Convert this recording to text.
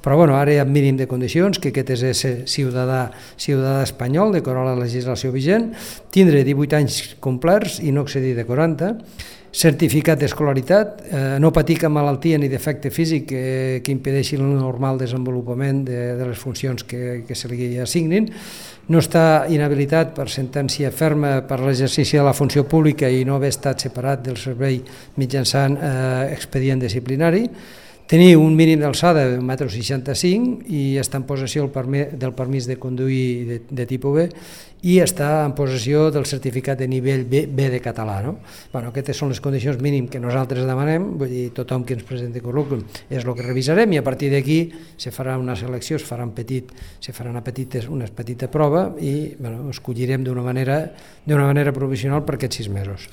Però bueno, ara hi ha mínim de condicions, que aquest és ser ciutadà espanyol, d'acord a la legislació vigent, tindre 18 anys complerts i no excedir de 40, certificat d'escolaritat, no patir cap malaltia ni defecte físic que impedeixi el normal desenvolupament de les funcions que se li assignin, no està inhabilitat per sentència ferma per l'exercici de la funció pública i no haver estat separat del servei mitjançant expedient disciplinari, tenir un mínim d'alçada de 1,65 m i estar en possessió del permís de conduir de tipus B i estar en possessió del certificat de nivell B de català. Aquestes són les condicions mínimes que nosaltres demanem, vull dir, tothom que ens presenti currículum és el que revisarem i a partir d'aquí se farà una selecció, se farà una petita prova i escollirem d'una manera provisional per aquests 6 mesos.